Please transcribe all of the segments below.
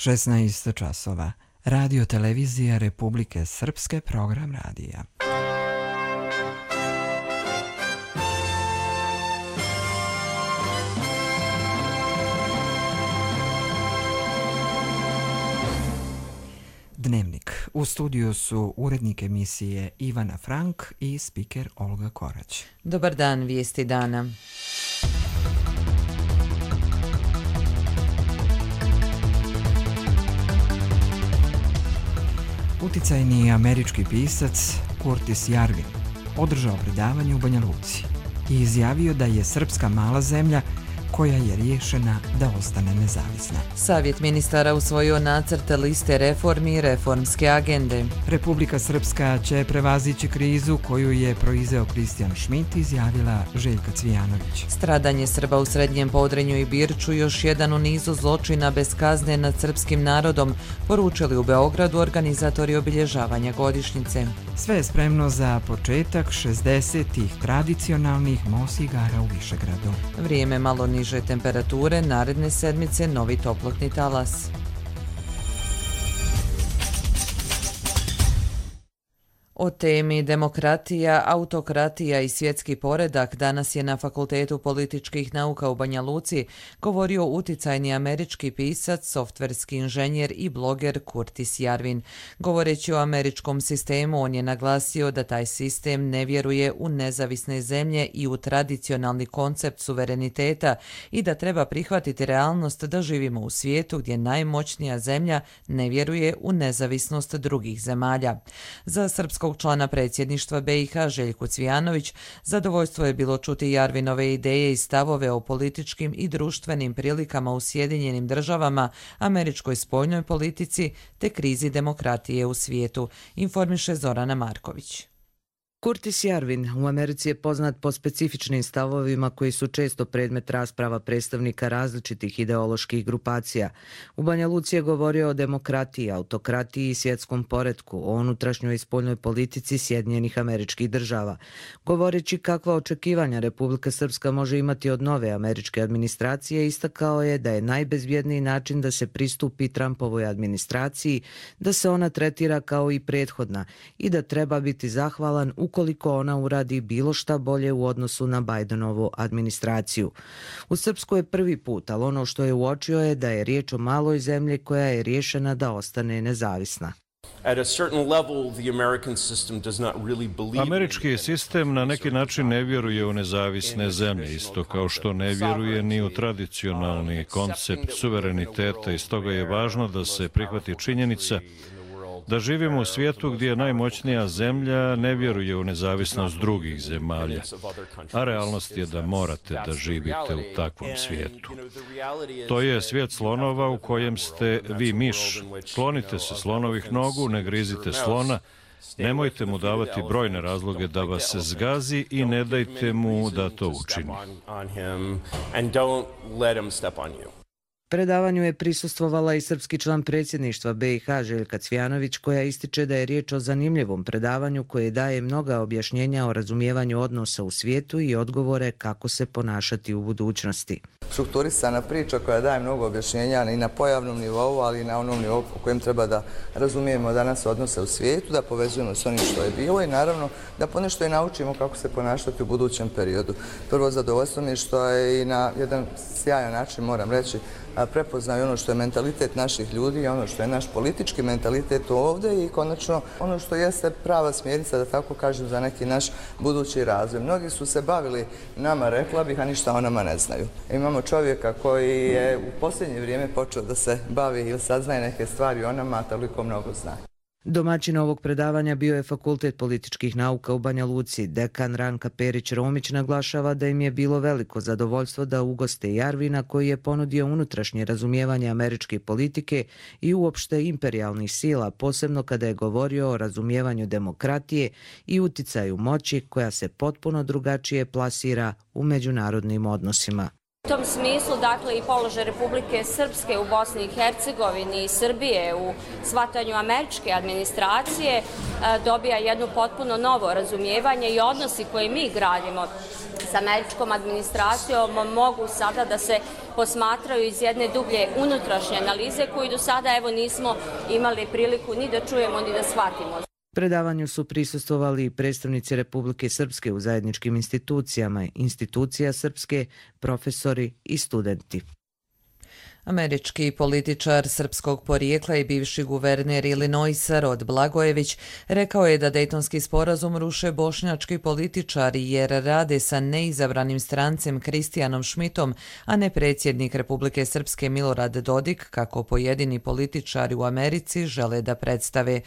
16 časova. Radio televizija Republike Srpske, program radija. Dnevnik. U studiju su urednik emisije Ivana Frank i spiker Olga Korać. Dobar dan, vijesti dana. Uticajni američki pisac Curtis Yarvin održao predavanje u Banja Luci i izjavio da je Srpska mala zemlja koja je rješena da ostane nezavisna. Savjet ministara usvojio nacrt liste reformi i reformske agende. Republika Srpska će prevazići krizu koju je proizveo Kristijan Šmit, izjavila Željka Cvijanović. Stradanje Srba u Srednjem Podrinju i Birču još jedan u nizu zločina bez kazne nad srpskim narodom, poručili u Beogradu organizatori obilježavanja godišnjice. Sve je spremno za početak 60-ih tradicionalnih MOS igara u Višegradu. Vrijeme malo niže temperature, naredne sedmice novi toplotni talas. O temi demokratija, autokratija i svjetski poredak danas je na Fakultetu političkih nauka u Banja Luci govorio uticajni američki pisac, softverski inženjer i bloger Curtis Yarvin. Govoreći o američkom sistemu, on je naglasio da taj sistem ne vjeruje u nezavisne zemlje i u tradicionalni koncept suvereniteta i da treba prihvatiti realnost da živimo u svijetu gdje najmoćnija zemlja ne vjeruje u nezavisnost drugih zemalja. Za srpskog člana predsjedništva BiH Željku Cvijanović zadovoljstvo je bilo čuti Yarvinove ideje i stavove o političkim i društvenim prilikama u Sjedinjenim Državama, američkoj spoljnoj politici te krizi demokratije u svijetu, informiše Zorana Marković. Curtis Yarvin u Americi je poznat po specifičnim stavovima koji su često predmet rasprava predstavnika različitih ideoloških grupacija. U Banja Luci je govorio o demokratiji, autokratiji i svjetskom poretku, o unutrašnjoj i spoljnoj politici Sjedinjenih Američkih Država. Govoreći kakva očekivanja Republika Srpska može imati od nove američke administracije, istakao je da je najbezbjedniji način da se pristupi Trumpovoj administraciji, da se ona tretira kao i prethodna i da treba biti zahvalan ukoliko ona uradi bilo šta bolje u odnosu na Bidenovu administraciju. U Srpskoj je prvi put, ali ono što je uočio je da je riječ o maloj zemlji koja je rješena da ostane nezavisna. Američki sistem na neki način ne vjeruje u nezavisne zemlje, isto kao što ne vjeruje ni u tradicionalni koncept suvereniteta i stoga je važno da se prihvati činjenica da živimo u svijetu gdje najmoćnija zemlja ne vjeruje u nezavisnost drugih zemalja, a realnost je da morate da živite u takvom svijetu. To je svijet slonova u kojem ste vi miš. Klonite se slonovih nogu, ne grizite slona, nemojte mu davati brojne razloge da vas zgazi i ne dajte mu da to učini. Predavanju je prisustvovala i srpski član predsjedništva BiH Željka Cvijanović, koja ističe da je riječ o zanimljivom predavanju koje daje mnoga objašnjenja o razumijevanju odnosa u svijetu i odgovore kako se ponašati u budućnosti. Strukturisana priča koja daje mnogo objašnjenja i na pojavnom nivou, ali i na onom nivou po kojem treba da razumijemo danas odnose u svijetu, da povezujemo s onim što je bilo i naravno da ponešto i naučimo kako se ponašati u budućem periodu. Prvo zadovoljstvo mi je što je i na jedan sjajan način, moram reći, prepoznaju ono što je mentalitet naših ljudi i ono što je naš politički mentalitet ovdje i konačno ono što jeste prava smjernica, da tako kažem, za neki naš budući razvoj. Mnogi su se bavili nama, rekla bih, a ništa o nama ne znaju. Imamo čovjeka koji je u posljednje vrijeme počeo da se bavi ili saznaje neke stvari o nama, a toliko mnogo zna. Domaćin ovog predavanja bio je Fakultet političkih nauka u Banja Luci. Dekan Ranka Perić-Romić naglašava da im je bilo veliko zadovoljstvo da ugoste Yarvina, koji je ponudio unutrašnje razumijevanje američke politike i uopšte imperijalnih sila, posebno kada je govorio o razumijevanju demokratije i uticaju moći koja se potpuno drugačije plasira u međunarodnim odnosima. U tom smislu, dakle, i položaj Republike Srpske u Bosni i Hercegovini i Srbije u shvatanju američke administracije dobija jedno potpuno novo razumijevanje i odnosi koje mi gradimo s američkom administracijom mogu sada da se posmatraju iz jedne dublje unutrašnje analize koju do sada evo nismo imali priliku ni da čujemo ni da shvatimo. Predavanju su prisustvovali i predstavnici Republike Srpske u zajedničkim institucijama, institucija Srpske, profesori i studenti. Američki političar srpskog porijekla i bivši guverner Illinoisa Rod Blagojević rekao je da Dejtonski sporazum ruše bošnjački političari jer rade sa neizabranim strancem Kristijanom Šmitom, a ne predsjednik Republike Srpske Milorad Dodik, kako pojedini političari u Americi žele da predstave.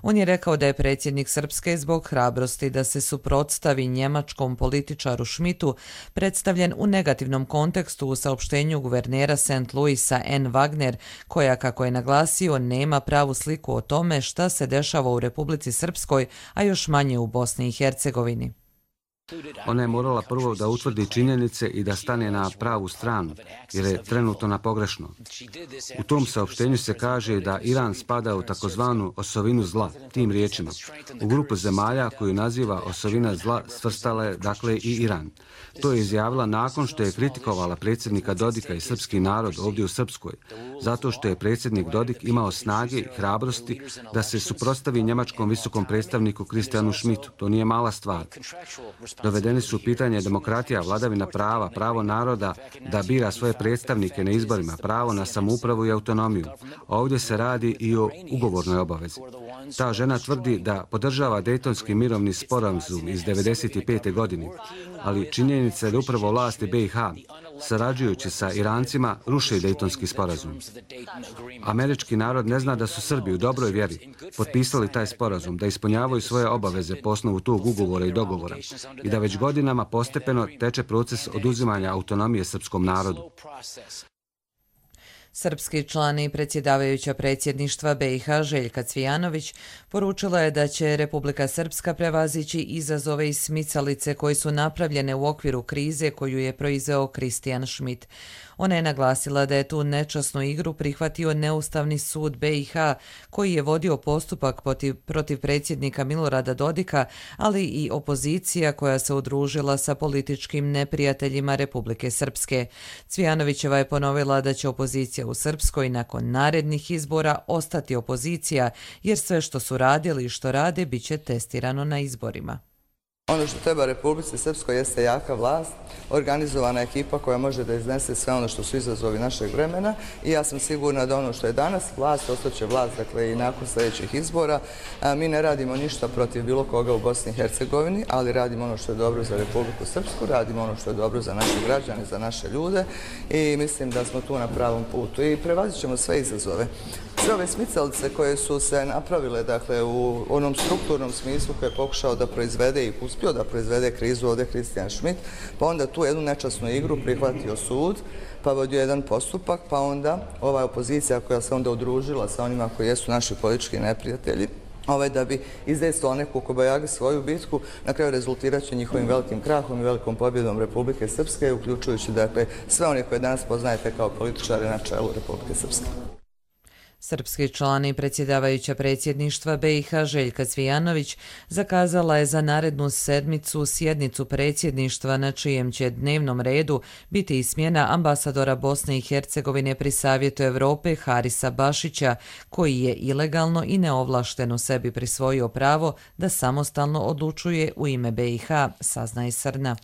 On je rekao da je predsjednik Srpske zbog hrabrosti da se suprotstavi njemačkom političaru Šmitu predstavljen u negativnom kontekstu u saopštenju guvernera St. Louisa N. Wagner, koja, kako je naglasio, nema pravu sliku o tome šta se dešava u Republici Srpskoj, a još manje u Bosni i Hercegovini. Ona je morala prvo da utvrdi činjenice i da stane na pravu stranu, jer je trenutno na pogrešno. U tom saopštenju se kaže da Iran spada u takozvanu osovinu zla, tim riječima. U grupu zemalja koju naziva osovina zla svrstala je dakle i Iran. To je izjavila nakon što je kritikovala predsjednika Dodika i srpski narod ovdje u Srpskoj, zato što je predsjednik Dodik imao snage i hrabrosti da se suprotstavi njemačkom visokom predstavniku Kristijanu Šmitu. To nije mala stvar. Dovedeni su u pitanje demokratija, vladavina prava, pravo naroda da bira svoje predstavnike na izborima, pravo na samoupravu i autonomiju. Ovdje se radi i o ugovornoj obavezi. Ta žena tvrdi da podržava Dejtonski mirovni sporazum iz 1995. godine, ali činjenica je da upravo vlasti BiH, sarađujući sa Irancima, ruše Dejtonski sporazum. Američki narod ne zna da su Srbi u dobroj vjeri potpisali taj sporazum, da ispunjavaju svoje obaveze po osnovu tog ugovora i dogovora i da već godinama postepeno teče proces oduzimanja autonomije srpskom narodu. Srpski član i predsjedavajuća predsjedništva BiH Željka Cvijanović poručila je da će Republika Srpska prevazići izazove i smicalice koji su napravljene u okviru krize koju je proizveo Kristijan Šmit. Ona je naglasila da je tu nečasnu igru prihvatio Neustavni sud BiH koji je vodio postupak protiv predsjednika Milorada Dodika, ali i opozicija koja se udružila sa političkim neprijateljima Republike Srpske. Cvijanovićeva je ponovila da će opozicija u Srpskoj nakon narednih izbora ostati opozicija, jer sve što su radili i što rade bit će testirano na izborima. Ono što treba Republici Srpskoj jeste jaka vlast, organizovana ekipa koja može da iznese sve ono što su izazovi našeg vremena i ja sam sigurna da ono što je danas vlast, ostaće vlast, dakle i nakon sljedećih izbora. Mi ne radimo ništa protiv bilo koga u Bosni i Hercegovini, ali radimo ono što je dobro za Republiku Srpsku, radimo ono što je dobro za naše građane, za naše ljude i mislim da smo tu na pravom putu i prevazit ćemo sve izazove. Sve ove smicalice koje su se napravile, dakle, u onom strukturnom smislu koje je pokušao da proizvede i uspio da proizvede krizu ovdje Kristijan Šmit, pa onda tu jednu nečasnu igru prihvatio sud, pa vodio jedan postupak, pa onda ova opozicija koja se onda udružila sa onima koji jesu naši politički neprijatelji, da bi izdejstvovao neku kobajagi svoju bitku, na kraju rezultirat će njihovim velikim krahom i velikom pobjedom Republike Srpske, uključujući, dakle, sve one koje danas poznajete kao političare na čelu Republike Srpske. Srpski član i predsjedavajuća predsjedništva BiH Željka Cvijanović zakazala je za narednu sedmicu sjednicu predsjedništva na čijem će dnevnom redu biti i smjena ambasadora Bosne i Hercegovine pri Savjetu Europe Harisa Bašića, koji je ilegalno i neovlašteno sebi prisvojio pravo da samostalno odlučuje u ime BiH, saznaje Srna.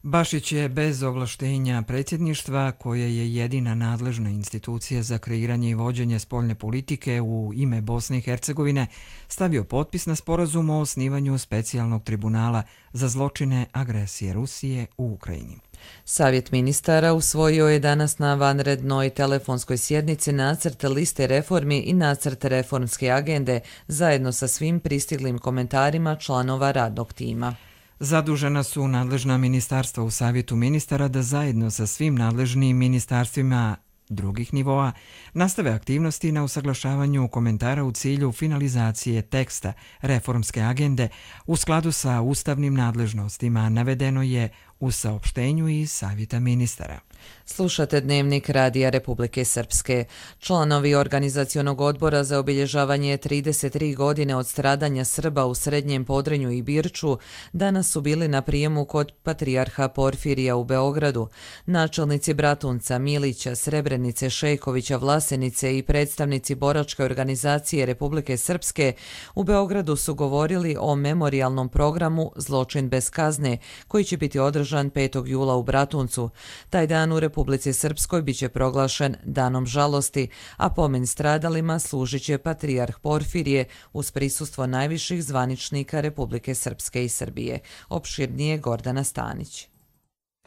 Bašić je bez ovlaštenja predsjedništva, koje je jedina nadležna institucija za kreiranje i vođenje spoljne politike u ime Bosne i Hercegovine, stavio potpis na sporazum o osnivanju specijalnog tribunala za zločine agresije Rusije u Ukrajini. Savjet ministara usvojio je danas na vanrednoj telefonskoj sjednici nacrt liste reformi i nacrt reformske agende zajedno sa svim pristiglim komentarima članova radnog tima. Zadužena su nadležna ministarstva u Savjetu ministara da zajedno sa svim nadležnim ministarstvima drugih nivoa nastave aktivnosti na usaglašavanju komentara u cilju finalizacije teksta reformske agende u skladu sa ustavnim nadležnostima, navedeno je u saopštenju iz Savjeta ministara. Slušate Dnevnik Radija Republike Srpske. Članovi Organizacionog odbora za obilježavanje 33 godine od stradanja Srba u Srednjem Podrinju i Birču danas su bili na prijemu kod patrijarha Porfirija u Beogradu. Načelnici Bratunca, Milića, Srebrenice, Šejkovića, Vlasenice i predstavnici boračke organizacije Republike Srpske u Beogradu su govorili o memorijalnom programu Zločin bez kazne, koji će biti održan 5. jula u Bratuncu. Taj dan u Republici Srpskoj biće proglašen danom žalosti, a pomen stradalima služit će patrijarh Porfirije uz prisustvo najviših zvaničnika Republike Srpske i Srbije. Opširnije Gordana Stanić.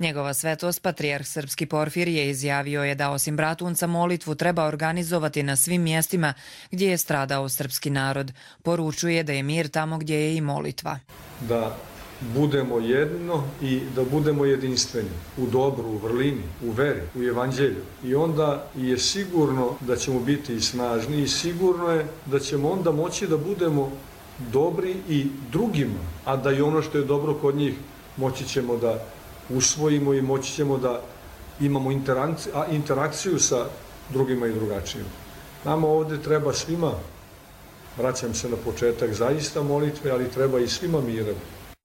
Njegova svetost, patrijarh srpski Porfirije, izjavio je da osim Bratunca molitvu treba organizovati na svim mjestima gdje je stradao srpski narod. Poručuje da je mir tamo gdje je i molitva. Da budemo jedno i da budemo jedinstveni u dobru, u vrlini, u veri, u evanđelju. I onda je sigurno da ćemo biti i snažni i sigurno je da ćemo onda moći da budemo dobri i drugima, a da i ono što je dobro kod njih moći ćemo da usvojimo i moći ćemo da imamo interakciju sa drugima i drugačijima. Nama ovdje treba svima, vraćam se na početak, zaista molitve, ali treba i svima mira.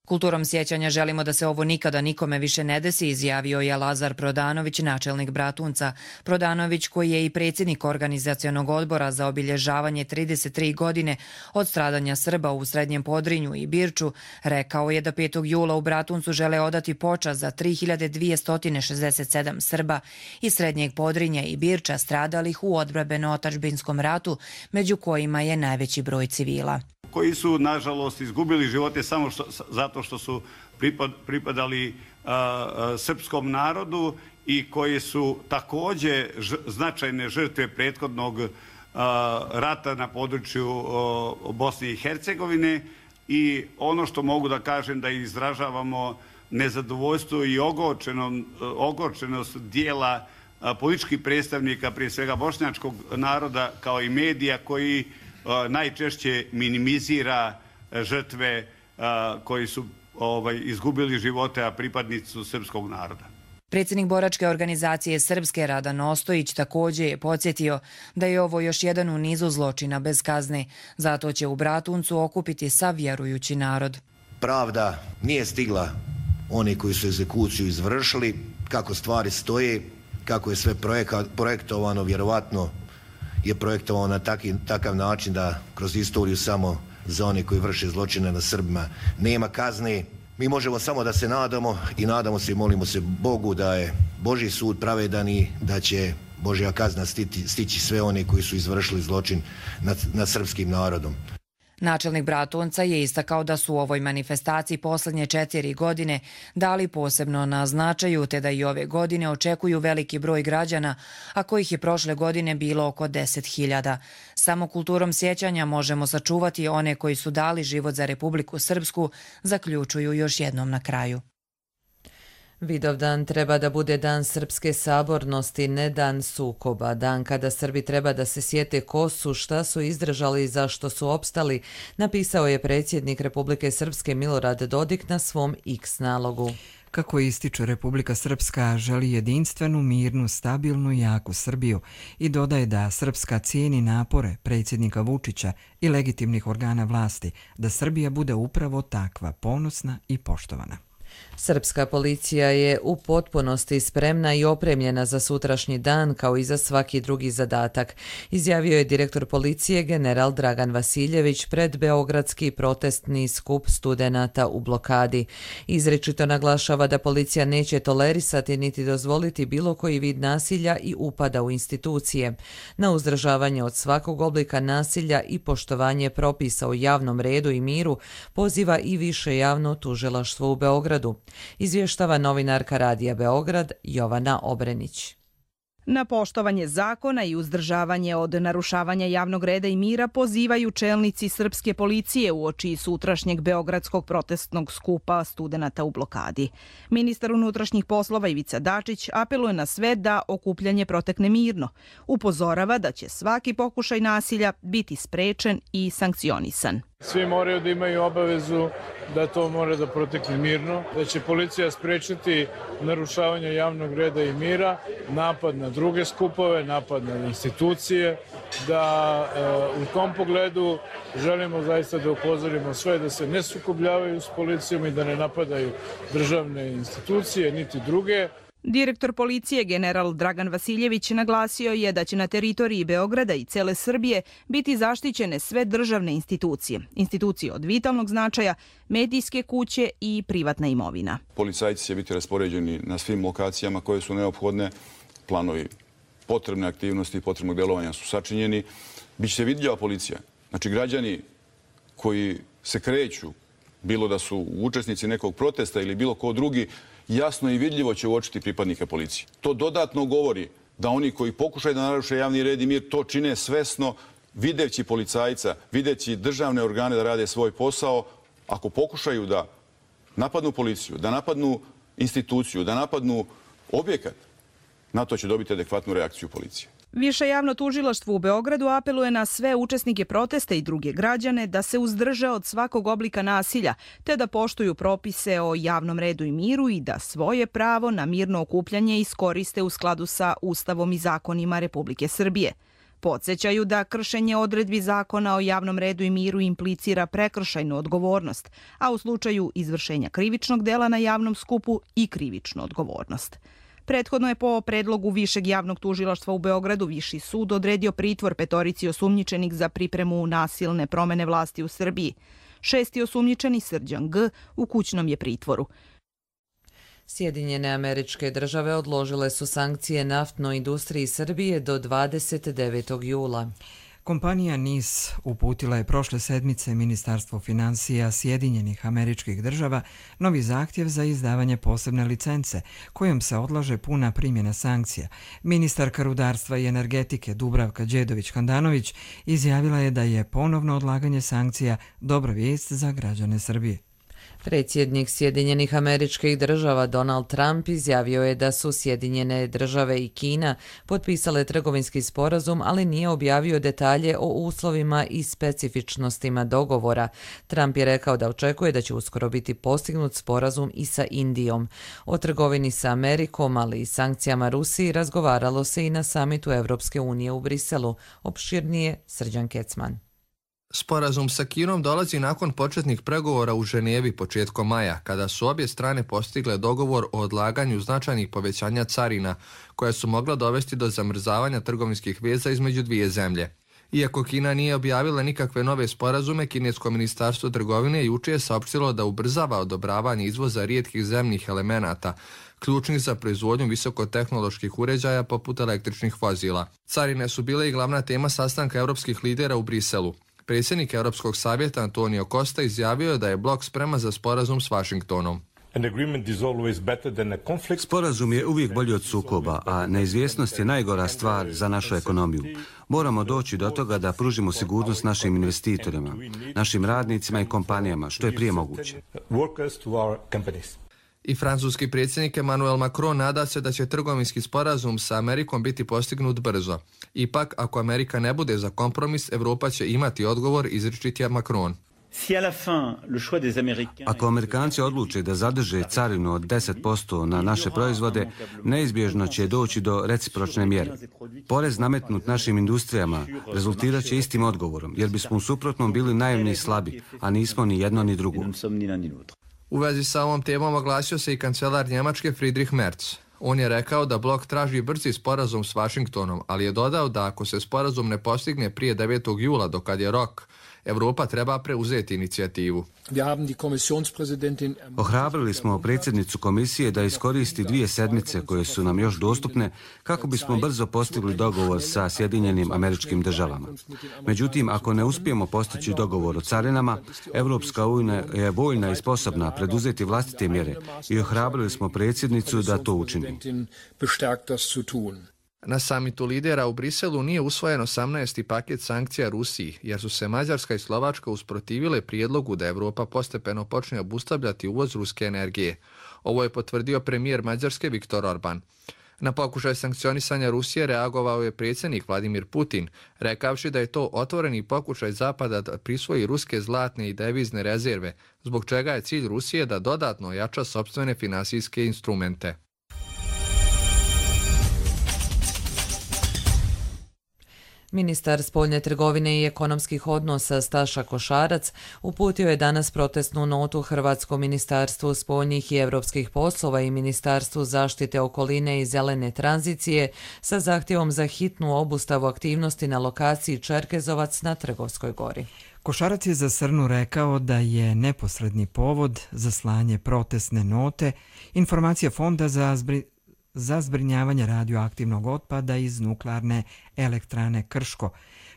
Kulturom sjećanja želimo da se ovo nikada nikome više ne desi, izjavio je Lazar Prodanović, načelnik Bratunca. Prodanović, koji je i predsjednik Organizacionog odbora za obilježavanje 33 godine od stradanja Srba u Srednjem Podrinju i Birču, rekao je da 5. jula u Bratuncu žele odati počast za 3267 Srba iz Srednjeg Podrinja i Birča stradalih u odbrambeno-otadžbinskom ratu, među kojima je najveći broj civila. Koji su, nažalost, izgubili živote samo zato što su pripadali srpskom narodu i koji su također značajne žrtve prethodnog rata na području Bosne i Hercegovine. I ono što mogu da kažem da izražavamo nezadovoljstvo i ogorčenost dijela političkih predstavnika, prije svega bošnjačkog naroda, kao i medija koji najčešće minimizira žrtve koji su izgubili živote, a pripadnici su srpskog naroda. Predsjednik boračke organizacije Srpske Radan Ostojić također je podsjetio da je ovo još jedan u nizu zločina bez kazne. Zato će u Bratuncu okupiti sav vjerujući narod. Pravda nije stigla oni koji su egzekuciju izvršili, kako stvari stoje, kako je sve projektovano, vjerovatno je projektovano na takav način da kroz istoriju samo za one koji vrše zločine na Srbima nema kazne. Mi možemo samo da se nadamo i nadamo se i molimo se Bogu da je Božji sud pravedan i da će Božja kazna stići sve one koji su izvršili zločin nad srpskim narodom. Načelnik Bratunca je istakao da su u ovoj manifestaciji posljednje 4 godine dali posebno na značaju, te da i ove godine očekuju veliki broj građana, a kojih je prošle godine bilo oko 10.000. Samo kulturom sjećanja možemo sačuvati one koji su dali život za Republiku Srpsku, zaključuju još jednom na kraju. Vidovdan treba da bude dan srpske sabornosti, ne dan sukoba. Dan kada Srbi treba da se sjete ko su, šta su izdržali i zašto su opstali, napisao je predsjednik Republike Srpske Milorad Dodik na svom X nalogu. Kako ističe, Republika Srpska želi jedinstvenu, mirnu, stabilnu i jaku Srbiju i dodaje da Srpska cijeni napore predsjednika Vučića i legitimnih organa vlasti da Srbija bude upravo takva, ponosna i poštovana. Srpska policija je u potpunosti spremna i opremljena za sutrašnji dan kao i za svaki drugi zadatak, izjavio je direktor policije general Dragan Vasiljević pred beogradski protestni skup studenata u blokadi. Izričito naglašava da policija neće tolerisati niti dozvoliti bilo koji vid nasilja i upada u institucije. Na uzdržavanje od svakog oblika nasilja i poštovanje propisa o javnom redu i miru poziva i više javno tužilaštvo u Beogradu. Izvještava novinarka Radija Beograd Jovana Obrenić. Na poštovanje zakona i uzdržavanje od narušavanja javnog reda i mira pozivaju čelnici srpske policije uoči sutrašnjeg beogradskog protestnog skupa studenata u blokadi. Ministar unutrašnjih poslova Ivica Dačić apeluje na sve da okupljanje protekne mirno. Upozorava da će svaki pokušaj nasilja biti sprečen i sankcionisan. Svi moraju da imaju obavezu da to mora da protekne mirno, da će policija sprečiti narušavanje javnog reda i mira, napad na druge skupove, napad na institucije, da u tom pogledu želimo zaista da upozorimo sve da se ne sukobljavaju s policijom i da ne napadaju državne institucije niti druge. Direktor policije general Dragan Vasiljević naglasio je da će na teritoriji Beograda i cele Srbije biti zaštićene sve državne institucije, institucije od vitalnog značaja, medijske kuće i privatna imovina. Policajci će biti raspoređeni na svim lokacijama koje su neophodne, planovi potrebne aktivnosti i potrebnog delovanja su sačinjeni. Biće vidljiva policija. Znači građani koji se kreću, bilo da su učesnici nekog protesta ili bilo ko drugi, jasno i vidljivo će uočiti pripadnike policije. To dodatno govori da oni koji pokušaju da naruše javni red i mir to čine svesno, videći policajca, videći državne organe da rade svoj posao. Ako pokušaju da napadnu policiju, da napadnu instituciju, da napadnu objekat, na to će dobiti adekvatnu reakciju policije. Više javno tužilaštvo u Beogradu apeluje na sve učesnike protesta i druge građane da se uzdrže od svakog oblika nasilja, te da poštuju propise o javnom redu i miru i da svoje pravo na mirno okupljanje iskoriste u skladu sa Ustavom i zakonima Republike Srbije. Podsjećaju da kršenje odredbi zakona o javnom redu i miru implicira prekršajnu odgovornost, a u slučaju izvršenja krivičnog dela na javnom skupu i krivičnu odgovornost. Prethodno je po predlogu Višeg javnog tužilaštva u Beogradu Viši sud odredio pritvor 5 osumnjičenih za pripremu nasilne promene vlasti u Srbiji. 6. osumnjičeni Srđan G. u kućnom je pritvoru. Sjedinjene Američke Države odložile su sankcije naftnoj industriji Srbije do 29. jula. Kompanija NIS uputila je prošle sedmice Ministarstvo finansija Sjedinjenih Američkih Država novi zahtjev za izdavanje posebne licence, kojom se odlaže puna primjena sankcija. Ministarka rudarstva i energetike Dubravka Đedović-Handanović izjavila je da je ponovno odlaganje sankcija dobra vijest za građane Srbije. Predsjednik Sjedinjenih Američkih Država Donald Trump izjavio je da su Sjedinjene Države i Kina potpisale trgovinski sporazum, ali nije objavio detalje o uslovima i specifičnostima dogovora. Trump je rekao da očekuje da će uskoro biti postignut sporazum i sa Indijom. O trgovini sa Amerikom, ali i sankcijama Rusiji razgovaralo se i na samitu Evropske unije u Briselu. Opširnije Srđan Kecman. Sporazum sa Kinom dolazi nakon početnih pregovora u Ženevi početkom maja, kada su obje strane postigle dogovor o odlaganju značajnih povećanja carina, koja su mogla dovesti do zamrzavanja trgovinskih veza između dvije zemlje. Iako Kina nije objavila nikakve nove sporazume, Kinesko ministarstvo trgovine juče je saopštilo da ubrzava odobravanje izvoza rijetkih zemnih elemenata, ključnih za proizvodnju visokotehnoloških uređaja poput električnih vozila. Carine su bile i glavna tema sastanka europskih lidera u Briselu. Predsjednik Europskog savjeta Antonio Costa izjavio je da je blok spreman za sporazum s Vašingtonom. Sporazum je uvijek bolji od sukoba, a neizvjesnost je najgora stvar za našu ekonomiju. Moramo doći do toga da pružimo sigurnost našim investitorima, našim radnicima i kompanijama, što je prije moguće. I francuski predsjednik Emmanuel Macron nada se da će trgovinski sporazum sa Amerikom biti postignut brzo. Ipak, ako Amerika ne bude za kompromis, Evropa će imati odgovor, izričitija Macron. Ako Amerikanci odluče da zadrže carinu od 10% na naše proizvode, neizbježno će doći do recipročne mjere. Porez nametnut našim industrijama rezultirat će istim odgovorom, jer bismo u suprotnom bili naivni i slabi, a nismo ni jedno ni drugo. U vezi sa ovom temom oglasio se i kancelar Njemačke Friedrich Merz. On je rekao da blok traži brzi sporazum s Vašingtonom, ali je dodao da ako se sporazum ne postigne prije 9. jula, dokad je rok, Evropa treba preuzeti inicijativu. Ohrabrili smo predsjednicu komisije da iskoristi 2 sedmice koje su nam još dostupne kako bismo brzo postigli dogovor sa Sjedinjenim Američkim Državama. Međutim, ako ne uspijemo postići dogovor o carinama, Evropska unija je voljna i sposobna preduzeti vlastite mjere i ohrabrili smo predsjednicu da to učini. Na samitu lidera u Briselu nije usvojen 18. paket sankcija Rusiji, jer su se Mađarska i Slovačka usprotivile prijedlogu da Evropa postepeno počne obustavljati uvoz ruske energije. Ovo je potvrdio premijer Mađarske Viktor Orban. Na pokušaj sankcionisanja Rusije reagovao je predsjednik Vladimir Putin, rekavši da je to otvoreni pokušaj Zapada da prisvoji ruske zlatne i devizne rezerve, zbog čega je cilj Rusije da dodatno ojača sopstvene finansijske instrumente. Ministar spoljne trgovine i ekonomskih odnosa Staša Košarac uputio je danas protestnu notu Hrvatskom ministarstvu spoljnih i europskih poslova i Ministarstvu zaštite okoline i zelene tranzicije sa zahtjevom za hitnu obustavu aktivnosti na lokaciji Čerkezovac na Trgovskoj gori. Košarac je za Srnu rekao da je neposredni povod za slanje protestne note informacija Fonda za zbrinjavanje radioaktivnog otpada iz nuklearne elektrane Krško,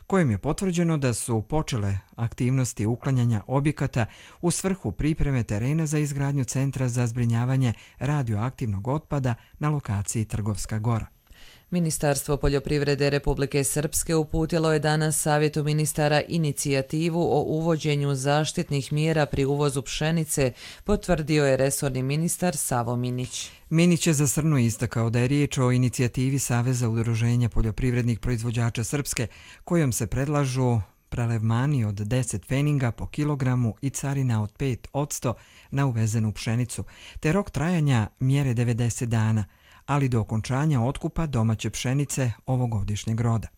kojim je potvrđeno da su počele aktivnosti uklanjanja objekata u svrhu pripreme terena za izgradnju centra za zbrinjavanje radioaktivnog otpada na lokaciji Trgovska gora. Ministarstvo poljoprivrede Republike Srpske uputilo je danas Savjetu ministara inicijativu o uvođenju zaštitnih mjera pri uvozu pšenice, potvrdio je resorni ministar Savo Minić. Minić je za Srnu istakao da je riječ o inicijativi Saveza udruženja poljoprivrednih proizvođača Srpske, kojom se predlažu prelevmani od 10 pfeninga po kilogramu i carina od 5% na uvezenu pšenicu, te rok trajanja mjere 90 dana, ali do okončanja otkupa domaće pšenice ovogodišnjeg roda.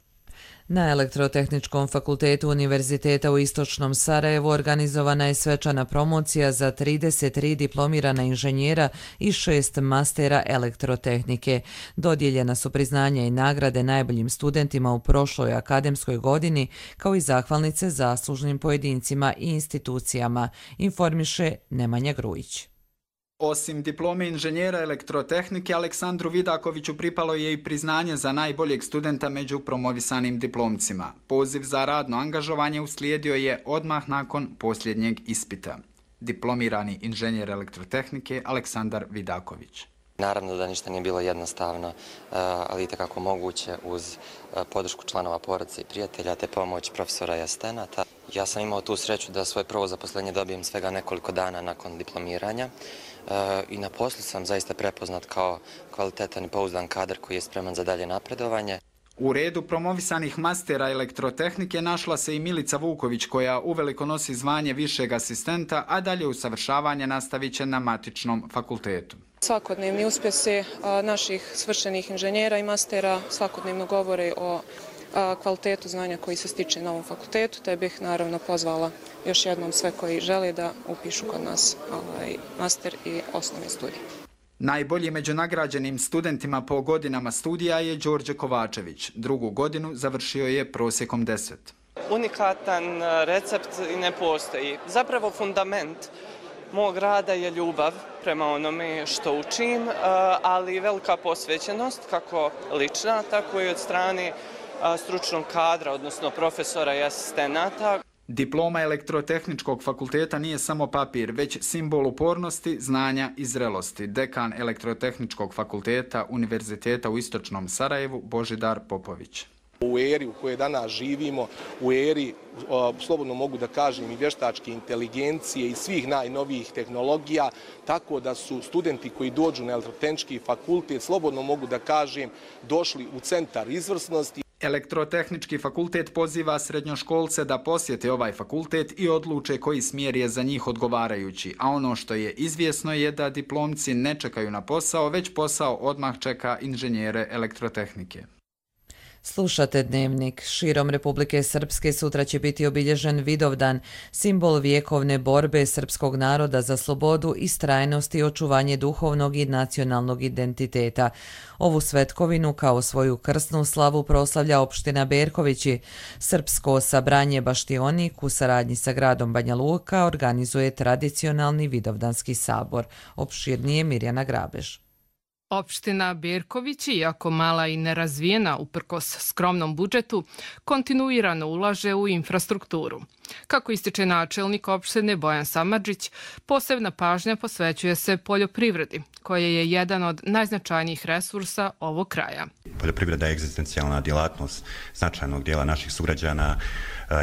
Na Elektrotehničkom fakultetu Univerziteta u Istočnom Sarajevu organizovana je svečana promocija za 33 diplomirana inženjera i 6 mastera elektrotehnike. Dodijeljena su priznanja i nagrade najboljim studentima u prošloj akademskoj godini, kao i zahvalnice zaslužnim pojedincima i institucijama, informiše Nemanja Grujić. Osim diplome inženjera elektrotehnike, Aleksandru Vidakoviću pripalo je i priznanje za najboljeg studenta među promovisanim diplomcima. Poziv za radno angažovanje uslijedio je odmah nakon posljednjeg ispita. Diplomirani inženjer elektrotehnike Aleksandar Vidaković. Naravno da ništa nije bilo jednostavno, ali itekako moguće uz podršku članova porodice i prijatelja te pomoć profesora i asistenata. Ja sam imao tu sreću da svoje prvo zaposlenje dobijem svega nekoliko dana nakon diplomiranja i na poslu sam zaista prepoznat kao kvalitetan i pouzdan kadar koji je spreman za dalje napredovanje. U redu promovisanih mastera elektrotehnike našla se i Milica Vuković, koja uveliko nosi zvanje višeg asistenta, a dalje usavršavanje nastavit će na matičnom fakultetu. Svakodnevni uspjesi naših svršenih inženjera i mastera svakodnevno govore o kvalitetu znanja koji se stiče na ovom fakultetu, te bih naravno pozvala još jednom sve koji žele da upišu kod nas master i osnovni studij. Najbolji među nagrađenim studentima po godinama studija je Đorđe Kovačević. Drugu godinu završio je prosjekom 10. Unikatan recept ne postoji. Zapravo fundament mog rada je ljubav prema onome što učim, ali velika posvećenost, kako lična, tako i od strane stručnog kadra, odnosno profesora i asistenata. Diploma Elektrotehničkog fakulteta nije samo papir, već simbol upornosti, znanja i zrelosti. Dekan Elektrotehničkog fakulteta Univerziteta u Istočnom Sarajevu Božidar Popović. U eri u kojoj danas živimo, u eri, slobodno mogu da kažem, i vještačke inteligencije i svih najnovijih tehnologija, tako da su studenti koji dođu na Elektrotehnički fakultet, slobodno mogu da kažem, došli u centar izvrsnosti. Elektrotehnički fakultet poziva srednjoškolce da posjete ovaj fakultet i odluče koji smjer je za njih odgovarajući, a ono što je izvjesno je da diplomci ne čekaju na posao, već posao odmah čeka inženjere elektrotehnike. Slušate Dnevnik. Širom Republike Srpske sutra će biti obilježen Vidovdan, simbol vjekovne borbe srpskog naroda za slobodu, istrajnost i očuvanje duhovnog i nacionalnog identiteta. Ovu svetkovinu kao svoju krsnu slavu proslavlja opština Berkovići. Srpsko sabranje Baštionik u saradnji sa gradom Banja Luka organizuje tradicionalni Vidovdanski sabor. Opširnije Mirjana Grabež. Opština Berkovići, iako mala i nerazvijena uprkos skromnom budžetu, kontinuirano ulaže u infrastrukturu. Kako ističe načelnik opštine Bojan Samardžić, posebna pažnja posvećuje se poljoprivredi, koja je jedan od najznačajnijih resursa ovog kraja. Poljoprivreda je egzistencijalna djelatnost značajnog dijela naših sugrađana,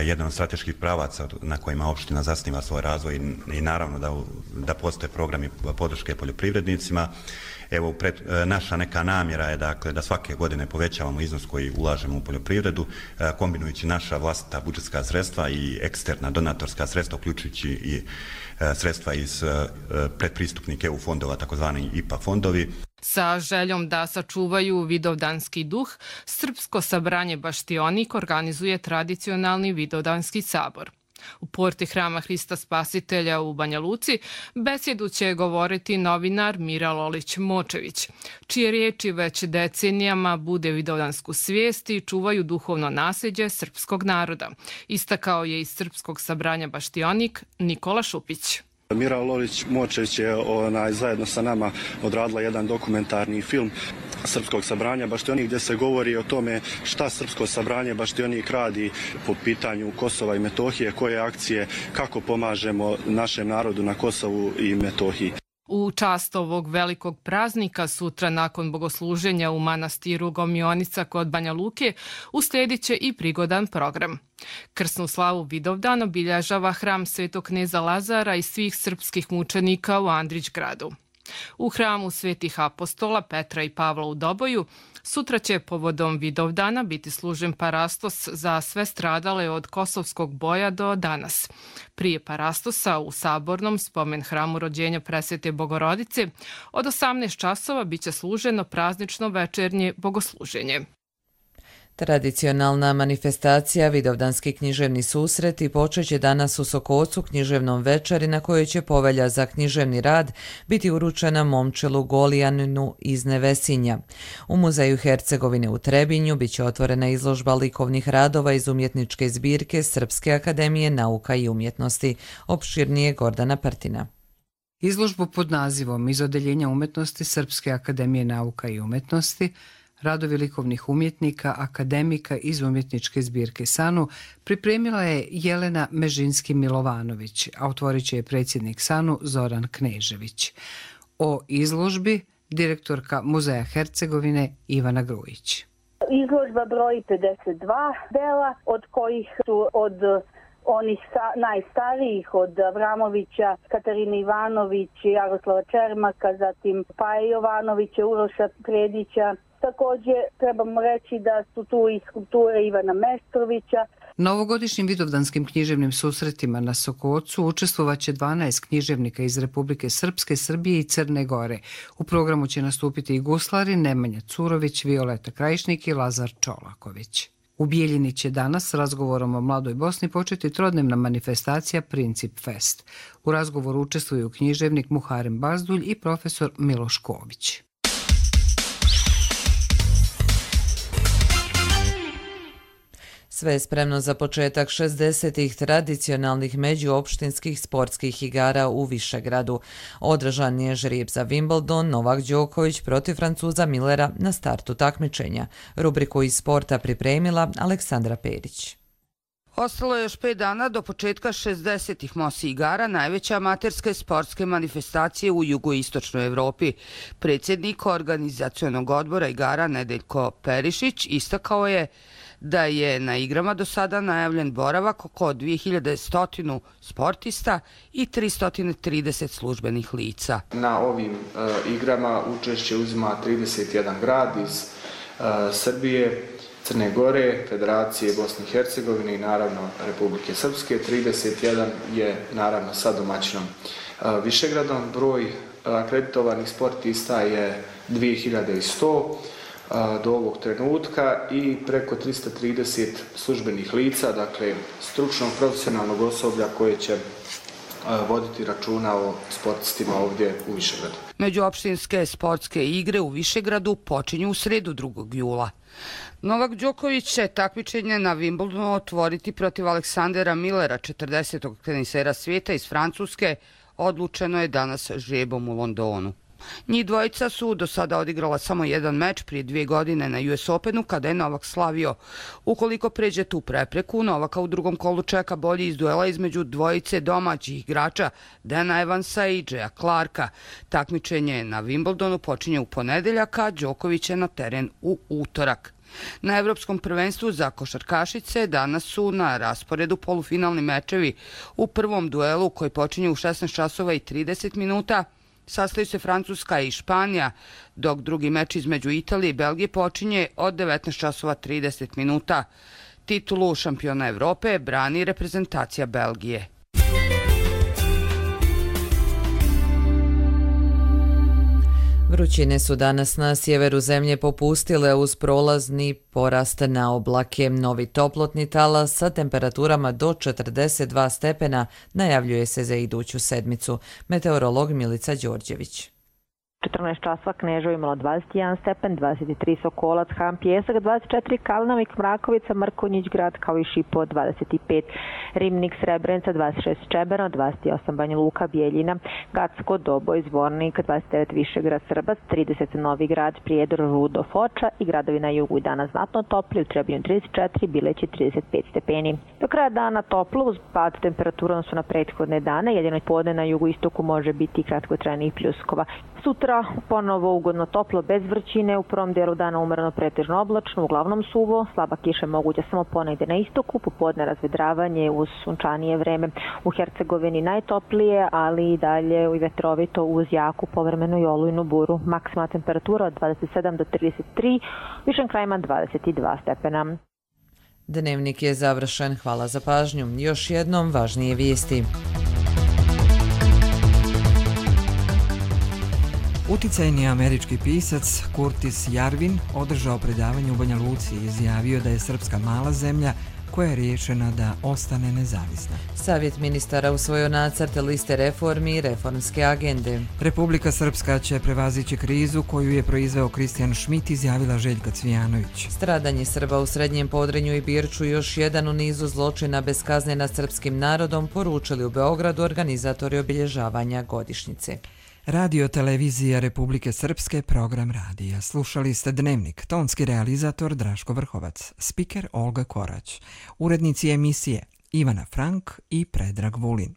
jedan od strateških pravaca na kojima opština zasniva svoj razvoj i naravno da postoje programi podrške poljoprivrednicima. Evo, naša neka namjera je dakle da svake godine povećavamo iznos koji ulažemo u poljoprivredu, kombinujući naša vlastita budžetska sredstva i eksterna donatorska sredstva, uključujući i sredstva iz predpristupnih EU fondova, takozvani IPA fondovi. Sa željom da sačuvaju vidovdanski duh, Srpsko sabranje Baštionik organizuje tradicionalni vidovdanski sabor. U porti Hrama Hrista Spasitelja u Banja Luci besjedu će govoriti novinar Mira Lolić-Močević, čije riječi već decenijama bude vidovdansku svijest i čuvaju duhovno nasljeđe srpskog naroda, istakao je iz Srpskog sabranja Baštionik Nikola Šupić. Mira Lolić-Močević je zajedno sa nama odradila jedan dokumentarni film Srpskog sabranja Baštionik gdje se govori o tome šta Srpsko sabranje Baštionik radi po pitanju Kosova i Metohije, koje akcije, kako pomažemo našem narodu na Kosovu i Metohiji. U čast ovog velikog praznika sutra nakon bogosluženja u manastiru Gomionica kod Banja Luke uslijedit će i prigodan program. Krsnu slavu Vidovdan obilježava hram Svetog kneza Lazara i svih srpskih mučenika u Andrićgradu. U hramu Svetih apostola Petra i Pavla u Doboju sutra će povodom Vidovdana biti služen parastos za sve stradale od kosovskog boja do danas. Prije parastosa u Sabornom spomen hramu rođenja Presvete Bogorodice od 18 časova biće služeno praznično večernje bogosluženje. Tradicionalna manifestacija Vidovdanski književni susreti počeće danas u Sokocu književnom večeri na kojoj će povelja za književni rad biti uručena Momčilu Golijaninu iz Nevesinja. U Muzeju Hercegovine u Trebinju biće otvorena izložba likovnih radova iz umjetničke zbirke Srpske akademije nauka i umjetnosti. Opširnije Gordana Partina. Izložbu pod nazivom Iz odeljenja umjetnosti Srpske akademije nauka i umjetnosti radovi likovnih umjetnika, akademika iz umjetničke zbirke SANU pripremila je Jelena Mežinski-Milovanović, a otvorit će je predsjednik SANU Zoran Knežević. O izložbi direktorka Muzeja Hercegovine Ivana Grujić. Izložba broji 52 dela, od kojih su od onih najstarijih od Avramovića, Katarine Ivanović, Jaroslava Čermaka, zatim Paje Jovanovića, Uroša Predića. Također trebamo reći da su tu i skulpture Ivana Mestrovića. Na ovogodišnjim vidovdanskim književnim susretima na Sokocu učestvovaće 12 književnika iz Republike Srpske, Srbije i Crne Gore. U programu će nastupiti i guslari Nemanja Curović, Violeta Krajišnik i Lazar Čolaković. U Bijeljini će danas s razgovorom o mladoj Bosni početi trodnevna manifestacija Princip Fest. U razgovoru učestvuju književnik Muharem Bazdulj i profesor Miloš Ković. Sve je spremno za početak 60. tradicionalnih međuopštinskih sportskih igara u Višegradu. Održan je žrijeb za Wimbledon, Novak Đoković protiv Francuza Millera na startu takmičenja. Rubriku iz sporta pripremila Aleksandra Perić. Ostalo je još 5 dana do početka 60. Mosi igara, najveće amaterske sportske manifestacije u jugoistočnoj Evropi. Predsjednik organizacionog odbora igara Nedeljko Perišić istakao je da je na igrama do sada najavljen boravak oko 2100 sportista i 330 službenih lica. Na ovim igrama učešće uzima 31 grad iz Srbije, Crne Gore, Federacije Bosne i Hercegovine i naravno Republike Srpske. 31 je naravno sa domaćinom Višegradom. Broj akreditovanih sportista je 2100 do ovog trenutka i preko 330 službenih lica, dakle stručnog profesionalnog osoblja koje će voditi računa o sportistima ovdje u Višegradu. Međuopštinske sportske igre u Višegradu počinju u sredu 2. jula. Novak Đoković će takmičenje na Wimbledonu otvoriti protiv Aleksandera Millera, 40. tenisera svijeta iz Francuske, odlučeno je danas žrebom u Londonu. Njih dvojica su do sada odigrala samo jedan meč prije 2 godine na US Openu kada je Novak slavio. Ukoliko pređe tu prepreku, Novaka u drugom kolu čeka bolji iz duela između dvojice domaćih igrača Dana Evansa i Jaya Clarka. Takmičenje na Wimbledonu počinje u ponedeljak, a Đoković je na teren u utorak. Na Evropskom prvenstvu za košarkašice danas su na rasporedu polufinalni mečevi. U prvom duelu koji počinje u 16 časova i 30 minuta sastaju se Francuska i Španija, dok drugi meč između Italije i Belgije počinje od 19 časova 30 minuta. Titulu šampiona Evrope brani reprezentacija Belgije. Vrućine su danas na sjeveru zemlje popustile uz prolazni porast na oblake. Novi toplotni talas sa temperaturama do 42 stepena najavljuje se za iduću sedmicu. Meteorolog Milica Đorđević. 14 časova Kneževo imalo 21 stepen, 23 Sokolac, Ham Pjesak, 24 Kalnavik, Mrakovica, Mrkonjić grad kao i Šipo 25, Rimnik, Srebrenica 26, Čeberno 28, Banja Luka, Bijeljina, Gacko, Doboj, Zvornik 29, Višegrad, Srbac 30, Novi grad, Prijedor, Rudo, Foča i gradovi na jugu i danas znatno topli, u Trebinju 34, Bileći 35 stepeni. Do kraja dana toplo uz pad temperatura su na prethodne dane, jedino podne na jugu istoku može biti kratkotrajnih pljuskova. Sutra ponovo ugodno toplo bez vrućine, u prvom dijelu dana umereno pretežno oblačno, uglavnom suvo, slaba kiša moguća samo ponegde na istoku, popodne razvedravanje uz sunčanije vreme. U Hercegovini najtoplije, ali i dalje i vetrovito uz jaku povremenu i olujnu buru. Maksimalna temperatura od 27 do 33, višim krajima 22 stepena. Dnevnik je završen. Hvala za pažnju. Još jednom važnije vijesti. Uticajni američki pisac Curtis Yarvin održao predavanje u Banja Luci i izjavio da je Srpska mala zemlja koja je riješena da ostane nezavisna. Savjet ministara usvojio nacrt liste reformi i reformske agende. Republika Srpska će prevazići krizu koju je proizveo Kristijan Šmit, izjavila Željka Cvijanović. Stradanje Srba u Srednjem Podrinju i Birču još jedan u nizu zločina bez kazne nad srpskim narodom, poručili u Beogradu organizatori obilježavanja godišnjice. Radio televizija Republike Srpske, program radija. Slušali ste Dnevnik, tonski realizator Draško Vrhovac, spiker Olga Korać, urednici emisije Ivana Frank i Predrag Vulin.